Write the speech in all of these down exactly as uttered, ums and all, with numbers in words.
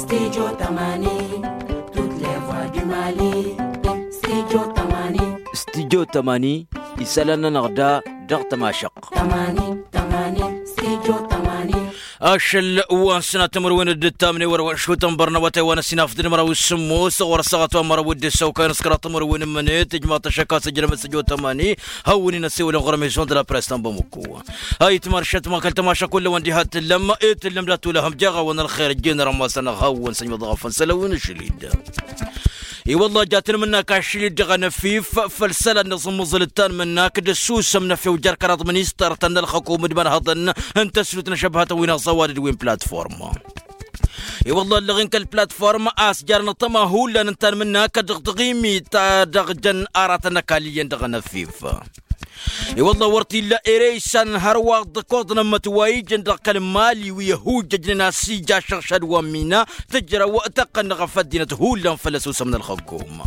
Studio tămani. Toutes les voix du mali. Studio tămani. Studio tămani. Isălan-nănăɣ da dăɣ-tămašăɣt. Tămani tămani. Studio tămani. Ašăl wa n-sănat timǝrwen d-ǝttamne wăr-wăn šutăn bărnăwătay wa n-ăsinaf d-măraw s-sǝmmos ɣur-ăssaɣăt wa n-măraw d-ǝssăwkay n-ăskăraḍ timǝrwen n-imǝnet ijmaḍ-t ăššăk a-s ǝjrăm studio tămani. Hawăn-in-ăssewălăn ɣur-ămizon d-la press ta n-bamăkko. Ayǝtmar šătma kăl-tămaša kull-wăn diha t-tǝllăm. I-tǝllăm dat-tula hăm jaɣ-awăn ălxer ǝjjeen rămmasăn hawăn-săjmăḍ ɣăfăn sălăwăn ašăl-dd. I-wălla jatăn mǝnnak ašăl-dd dăɣ-anăfif făll-isălan n-aẓǝmmăẓǝl ǝttan mǝnnak d-ăssusăm n-efew jer-kăraḍ ministăr-tăn n-ălxăkum d-imanhăḍăn n-tăslut n-ažăbhatăn wi n-aẓăwad d-wi n-platform. I-wălla ăllăɣen kăl-platform a-s jarăn ăṭṭăma hullan ǝnta n-mǝnnak dăɣ-taɣimit ta dăɣ-jăn aratăn n-ăkall iyyăn dăɣ-anăfif. I-wălla wăr t-illa ere isanăn hărwa dd-ăkoḍăn ămmăt wa ijăn dăɣ-kăl-mali wi ăhujjăjnen a-s ija ašăɣšad wa n-mina tǝjrăw tăqqăn-năɣ ɣăf ăddinăt hullan făll-ăsusăm n-ălxăkum.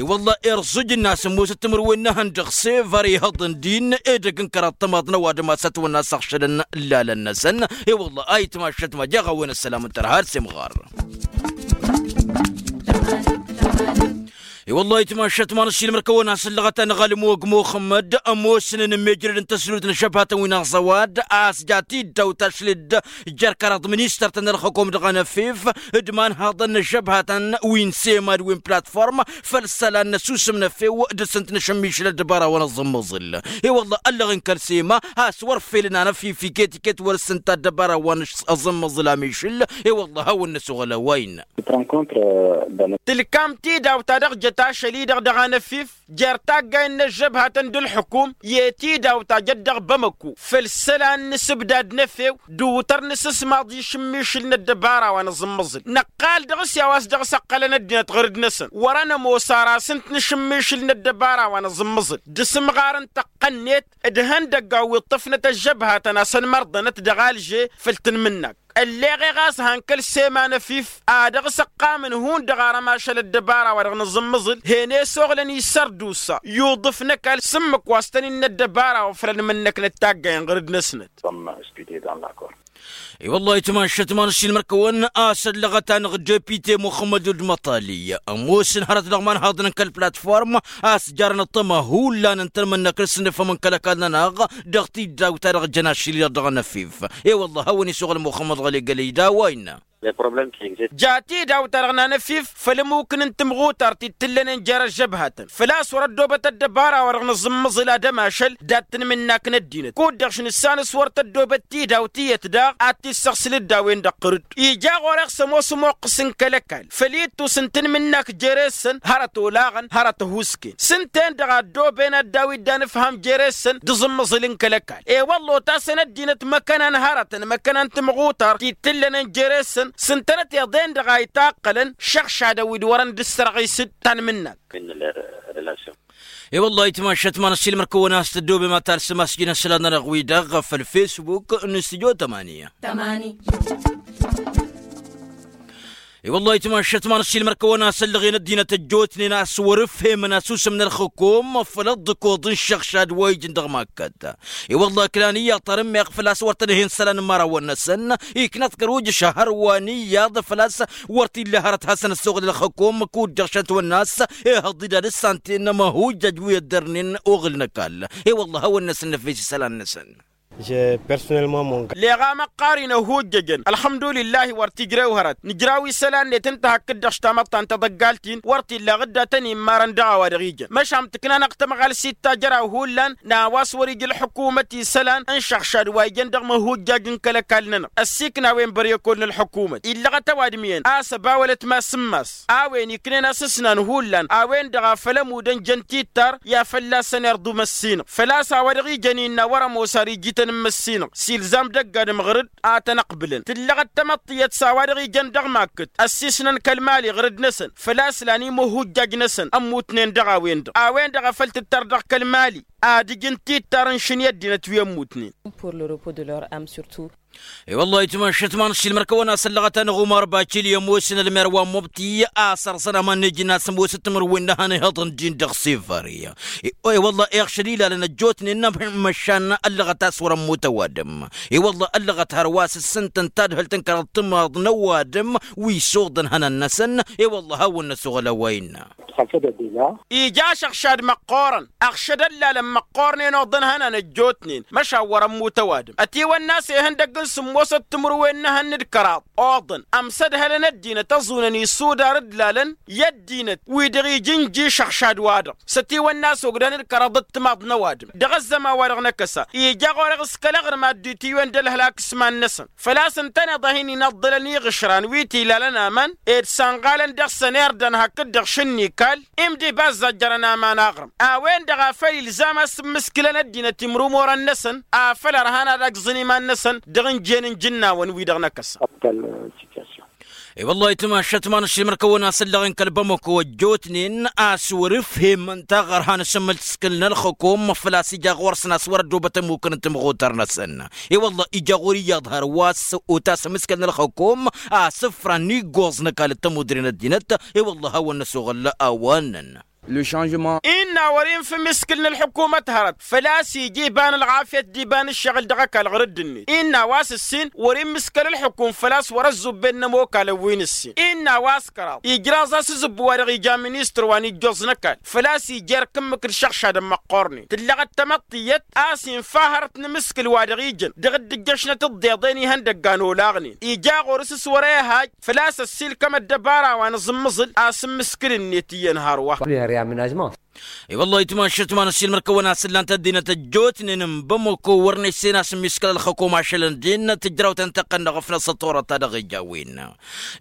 I-wălla irẓǝj-in a-s ămoosăt timǝrwen n-ehăn dăɣ-sefăr ihăḍăn din edăgg n-kăraḍ tămaḍ n-ăwadǝm a-s ătwănna a-s ăɣšădăn lalăn-năsăn. I-wălla ayǝtmašăt ma jaɣ-a-wen ăssălam n-tărha ad-semɣar. I-wălla ayǝtmašăt ma n-ăssiilmăr-kăwăn a-s ǝllăɣăt-anăɣ alǝmog muxămmăd ămoosnen n-imejrăd n-tăslut n-ažăbhatăn wi n-aẓăwad a-s jat-dd dawt-ašlǝd jer-kăraḍ ministăr-tăn ălxăkom dăɣ-anăfif d-imanhăḍăn n-ažăbhatăn wi n-sema d-wi n-platform făll-isălan n-ăsusǝm n-efew dăr-săn t-nǝšǝmmišǝl ăddăbara wa n-aẓǝmmăẓǝl. I-wălla ăllăɣen kăl-sema a-s wăr felăn anăfif iket-iket wăr-s ǝnta ăddăbara wa n-aẓǝmmăẓǝl amišǝl. I-wălla hawăn-năsoɣăl a-wa innă. Tǝlkam tidawt ta dăɣ-jăt ašăl-i-dăɣ dăɣ-anăfif jer-taggayen n-ăžžăbhatăn d-ǝlḥǝkum i-tidawt ta jăt dăɣ-bamăkko făll-isălan n-asǝbdad n-efew d-uwǝtăr n-asǝsmaḍ išǝmmišǝl n-ăddăbara wa n-aẓǝmmăẓǝl năqqal dăɣ-s i-a-wa s-dăɣ-s ăqqălăn ăddinăt ɣăr-dd-năsăn wăr-ănămoos ar asǝnt n-išǝmmišǝl n-ăddăbara wa n-aẓǝmmăẓǝl d-asǝmɣar n-tăqqănnet d-ihăndăgg a-wi ǝṭṭǝfnăt ăžžăbhatăn a-s ănmărḍănăt dăɣ-alže făll-tanmǝnnak. Ălleɣ e ɣas han kăl-sema n-efif a dăɣ-s ăqqamăn hundăɣ arăm ašăl ăddăbara wa dăɣ-nǝẓǝmmǝẓǝl hen-e-soɣlăn isărdusa i-uḍǝf n-ăkall s-ǝmmǝk wa s-tăn-innă ăddăbara wa făll-ănmǝnnăknăt taggayen ɣăr-dd-năsnăt. I-wăllah itmašăt ma n-ăssiilmăr-kăwăn a-s ăllăɣăt-anăɣ depite muxămmăd wălăd măṭali ămoosăn hărăt dăɣ-imanhaḍăn n-kăl-platform a-s jarăn ăṭṭăma hullan ǝntăn mănnăk n-asǝnnǝfăm n-kăl-ăkall-nănăɣ dăɣ-tidawt-ta-dăɣ jăn ašăl-i-dăɣ dăɣ-anăfif. I-wăllah a-wen isuɣǝl muxămmăd ɣăli gălăy d-a-wa innă. Jat idawt-ta-dăɣ n-anăfif făll-ămmukǝn n-timɣutart ittǝllănen jer-ăžžăbhatăn făl-a-s wăr-ăddoobăt ăddăbara wa dăɣ-nǝẓǝmmăẓǝl ad-ămašăl dat-tanmǝnnak n-ăddinăt kud-dăɣ šăn ǝssan s-wăr tăddoobăt tidawt iyyăt daɣ ad-t-issăɣsǝl dd-a-wen-dăɣ ɣǝr-dd. Ija ɣur-e ăɣsămos ămoqqǝs n-kăl-ăkall făll-ittus n-tanmǝnnak jere-săn hărăt olaɣăn hărăt ăhuusken s-ǝnta-en-dăɣ a ăddooben ad-dd-awi dd-anǝfham jere-săn d-aẓǝmmăẓǝl n-kăl-ăkall. I-wălla otasăn ăddinăt măkkăna n-hărătăn măkkăna n-timɣutart ti t-ǝllănen jere-săn s-ǝntănăt iḍen-dăɣ a itaqqălăn šăɣšadăn wi d-wărăn d-ǝssărɣis d-tanmǝnnak. I-wălla itmašăt ma n-ăssiilmăr-kăwăn a-s tăddoobem ad-talsăm asjin ăslan-nănăɣ-wi-dăɣ făll-fesbuk n-studyo tămani. I-wălla itmašăt ma n-ăssiilmăr-kăwăn a-s ăllăɣen ăddinăt ăjjootnen a-s wăr-ǝfhemăn asusǝm n-ălxǝkum făll-ăḍḍǝkoḍ n-išăɣšad wa ijăn dăɣ-makkăt. I-wălla ǝklan iyyăḍ tarǝmmeɣ făl-a-s wăr tăn-ǝhen isălan n-imărawăn-năsăn iknăt kăr-ujǝš a hărwa n-iyyăḍ făl-a-s wăr t-illa hărăt hasăn-ăssoɣǝl ălxǝkum kud-dăɣ šăntwănna a-s ehăḍ-dd ad-ǝssantăn ămăhujjăj wi ăddărnen oɣǝl n-ăkall. I-wălla hawăn-năsăn năfes isălan-năsăn. Leɣ a măqqar-in ăhujjăjăn ălxămdulillah wăr t-ijrew hărăt nǝjraw isălan-net ǝnta hakd-dăɣ s-tamăḍt ta n-taḍăggalt-in wăr t-illa ɣǝdda tăn-immarăn dăɣ-a-wa dăɣ-ijăn măšan tǝkna-năɣ tămɣalsit ta jăraw hullan n-a-wa s-wăr-ija ălxǝkumăt isălan n-išăɣšad wa ijăn dăɣ-măhujjaj n-kăl-ăkall-nănăɣ ăssiikna a-wen băryăkol n-ălxǝkumăt illăɣăt ăwadǝm iyyăn a-s ăbawălăt mass n-mass a-wen iknen asǝsnan hullan a-wen-dăɣ a făl-ămud ănjăn tittar i-ad-fălla-săn irḍu măssinăɣ făl-a-s a-wa dăɣ-ijăn innă wăr-ămoos ar ijităn n-măssinăɣ s-ilzam d-ăgg-adǝm ɣăr-dd ad-tăn-ăqbǝlăn tǝllăɣăt tamăḍt tiyyăt s-a-wa dăɣ-ijăn dăɣ-makkăt ăssiisnăn kăl-mali ɣǝr-dd-năsăn făl-a-s lan imǝhhujjaj-năsăn ămmutnen dăɣ-a-wen-dăɣ a-wen-dăɣ a făl tǝttăr dăɣ-kăl-mali ad-ǝjǝn tittar n-šǝnǝy ăddinăt wi ămmutnen. Pour le repos de leur âme surtout. I-wălla itmašăt ma n-ašilmăr kăwăn-asăllăɣăt-anăɣ umar bacil i-ămoosăn ălmer wa n-mubti a-s ărẓăn aman n-ejǝn a-s ămoosăt timǝrwen n-ehăn ihăḍăn din dăɣ-sefări. I-wălla iɣšăd ilalăn ăjjootnen n-măšan ăllăɣăt a-s wăr-ămmut ăwadǝm. I-wălla ăllăɣăt hărwa s-ǝssǝntăn tadhǝlt n-kăraḍ timaḍ n-ăwadǝm wi s-oḍăn ihănan-năsăn. I-wălla hawăn-năsoɣăl a-wa innă. Ija ašăɣšad măqqoorăn ăɣšăd ăllalăn măqqoornen oḍăn ihănan ăjjootnen măšan wăr-ămmut ăwadǝm ătiwănna a-s ihăndăgg n-sǝmmosăt timǝrwen n-ehăn d-kăraḍ oḍăn ămsădhălăn ăddinăt ăẓunăn isudar d-lalăn i-ăddinăt wi-dăɣ ija ǝnji ašăɣšad-wa-dăɣ s-ătiwănna a-s ogdan d-kăraḍ d-timaḍ n-ăwadǝm dăɣ-ăzzăman-wa-dăɣ n-akăsa ija ɣur-e s-kăl-aɣrǝm ad-dd-itiwăn d-ălhălak s-iman-năsăn. Făl-a-s ǝntăneḍ a hin-inaḍḍălăn iɣǝšran wi t-ilalăn aman ed sanɣalăn dăɣ-săn irdan hakd-dăɣ šǝnnikal imdib a ăzzajjărăn aman aɣrǝm a-wen-dăɣ a făl ilzam a-s ǝmmǝskǝlăn ăddinăt imrumorăn-năsăn afăl ărhan ad-agẓǝn iman-năsăn dăɣ-injen n-ijǝnnawăn-wi-dăɣ n-akăsa. I-wălla-hi timašat ma n-ašilmăr kăwăn-asăllăɣen kăl-bamăko ăjjootnen a-s wăr-ǝfhemăn taɣărha n-asǝmmǝskǝl n-ălxǝkum făl-a-s ija ɣur-săn a-s wăr-ăddobăt ămmukăn n-timɣutar-năsăn. I-wălla ija ɣur-iyyăḍ hărwa a-s otasăm s-kăl n-ălxăkom a-s ǝfran iggoẓ n-ăkall d-tămudre n-ăddinăt. I-wălla hawăn-năsoɣăl a-wa ǝnnăn. Innă wăr-infǝm iskǝl n-ălxukumăt hărăt făl-a-s ija iba n-ălɣafyăt d-iba n-ǝššăɣǝl dăɣ-ăkall ɣur-dd-net innă a-wa s-ǝssin wăr-immǝskăl ălxukum făl-a-s wăr-ăzzubben n-ămokalăn wi n-ǝssin. Innă a-wa s-kăraḍ ijraẓ-as azǝbbu wa dăɣ-ija ministăr wa n-ijjoẓ n-ăkall făl-a-s ija erk ǝmmǝk d-išăɣšadăn măqqornen tǝllăɣăt tamăḍt tiyyăt a-s infa hărăt n-amǝskǝl wa dăɣ-ijăn dăɣ-dd-ǝjjăšnăt ǝḍḍeḍen ihăndăgga n-olaɣnen ija ɣur-s s-wăr-e haj făl-a-s ăssiilkăm ăddăbara wa n-aẓǝmmǝẓǝl a-s ǝmmǝskǝl-net iyyăn hărwa. I-wălla-hi timašat ma n-ašilmăr kăwăn-asǝllan tăddinăt ăjjootnen n-bamăko wăr-năjsen a-s ǝmmiskăl ălxăkom ašălăn din tǝjrawt ăntăqqăn n-aɣăfnăs ăṭṭorăt ta dăɣ-ija a-wen.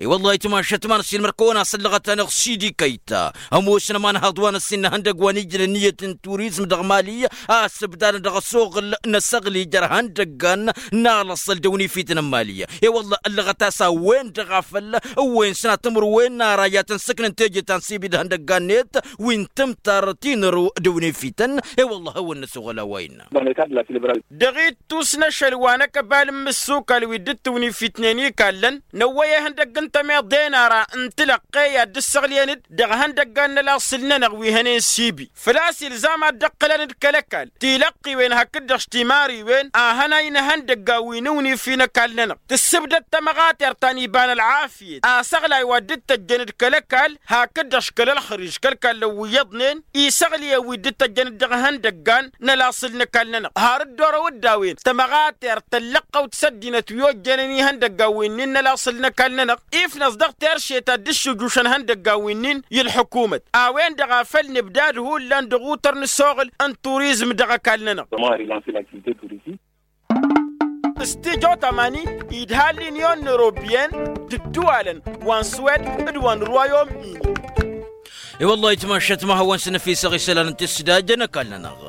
I-wălla-hi timašat ma n-ašilmăr kăwăn-asǝllăɣăt-anăɣ sidi kăyta ămoosăn ămanhăḍ wa n-ăssin n-ehăndăgg wa n-ijrăn iyyăt n-turizm dăɣ-mali a-s ǝbdadăn dăɣ-ăsoɣǝl n-asăɣlij ărhan dăggan n-alăṣṣăl d-ăwnifităn n-mali. I-wălla ăllăɣăt a-s a-wen-dăɣ a făl ǝwwen sănatămăr wen n-ara i-ad-tăn-sǝknǝn teje ta n-sibi d-ihăndăgga-net wi n-tǝmtar tinăru d-ăwnifităn. I-wălla hawăn-năsoɣăl a-wa innă. Dăɣ-ittus n-ašăl wa n-akăbal n-imǝssukal wi dd-tiwnifitnen ikallăn năwwăy ihăndăgg n-tămeḍe n-ara n-tilăqqe i-ad-dd-ǝssăɣlǝyăn-dd dăɣ-ihăndăggan n-ălaṣǝl-nănăɣ wi hănen sibi făl-a-s ilzam ad-dd-ǝqqǝlăn d-kăl-ăkall tilăqqiwen hakd-dăɣ s-timariwen a hănay n-ihăndăggan wi n-iwnif i-năkall-nănăɣ tǝssǝbdăd tamăɣatert ta n-iba n-ălɣafyăt asăɣlay wa dd-tăjjăn d-kăl-ăkall hakd-dăɣ s-kăl-ălxărij kăl-kallăn wi iyyăḍnen isăɣlǝyăn wi dd-tăjjăn d-dăɣ-ihăndăggan n-ălaṣǝl n-ăkall-nănăɣ har dd-orăw d-a-wen tamăɣatert tăllăqqăwt s-ăddinăt wi ojjănen ihăndăggan winnin n-ălaṣǝl n-ăkall-nănăɣ ifnăẓ dăɣ-terše ta dd-ǝššǝjušăn ihăndăggan winnin i-ălḥukumăt a-wen-dăɣ a făl nǝbdad hullan dăɣ-utăr-nǝsoɣǝl n-turizm dăɣ-ăkall-nănăɣ. S-tijo tamani idha l-inyon n-eropyen d-ǝddǝwalăn wa n-swed d-wa n-rwayom-in. I-wăllah itmašăt ma hawăn-săn ăfisăɣ isălan n-tisdajăn ăkall-nănăɣ.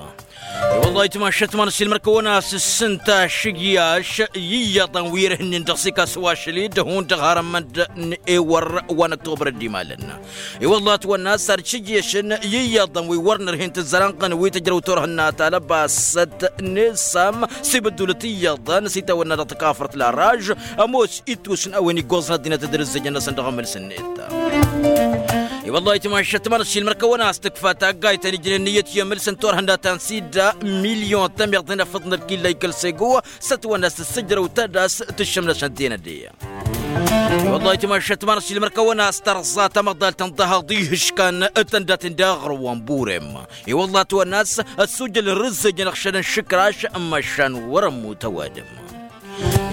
I-wăllah itmašăt ma n-ăssiilmăr kăwăn-asǝssǝn tašǝgyaš i-iyyăḍăn wi ărhǝnnen dăɣ-s ikas wa ašăl-i d-hundăɣ har ămmănd n-ewăr wa n-ăktobăr dd-imalăn. I-wăllah ătwănna a-s ad-šǝjješăn i-iyyăḍăn wi wăr nărhen tǝzzăranɣăn wi tǝjrăw turhǝnna talăbasăt n-esam s-ibǝddulăt iyyăḍăn s-itawănna dăɣ-takafărt laraž. Ămoos ittus n-a-wen iggoẓăn ăddinăt d-irǝzzejăn-năsăn dăɣ-emăls-net. I-wăllah itmašăt ma n-ăssiilmăr kăwăn-as tǝkfa taggayt ta n-ijnen n-iyyăt i-emăls n-turhǝnna ta n-sidda milyon tămiḍt n-afăḍ n-ălkilla ikăl sego s-ătwănna a-s tǝssǝjrăw tadast tǝššǝm-năsăn tenădde. I-wăllah itmašăt ma n-ăssiilmăr kăwăn-as tărẓa tamăḍalt n-dăhaḍ ihǝškan tăndaten d-aɣrǝw wa n-burem. I-wăllah ătwănna a-s ăssujăl n-irǝzzejăn ăɣšăl n-išǝkraš n-măšan wăr-ămmut ăwadǝm.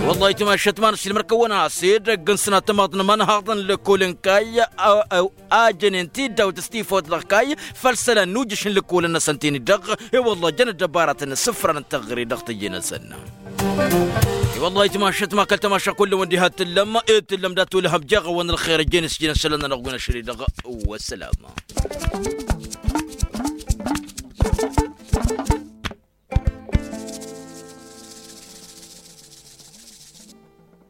I-wăllah itmašăt ma n-ăssiilmăr kăwăn-as edăgg n-sănatămaḍ n-imănhaḍăn lăkol n-kayy a jănen tiddawt s-tifawt dăɣ-kayy făll-isălan n-ujǝš n-lăkolăn-năsăn tini-dăɣ. I-wăllah jăn ăddăbaratăn s-ǝfran n-tăɣre dăɣ-teje-năsăn. I-wăllah itmašăt ma kăl-tamaša kull-wăn diha t-tǝllăm ed tǝllăm dat-olăhăm jeɣ-awăn ălxer ăjjeen s-jăn isălan-nănăɣ wi n-ašăl-i-dăɣ. Wăssălam.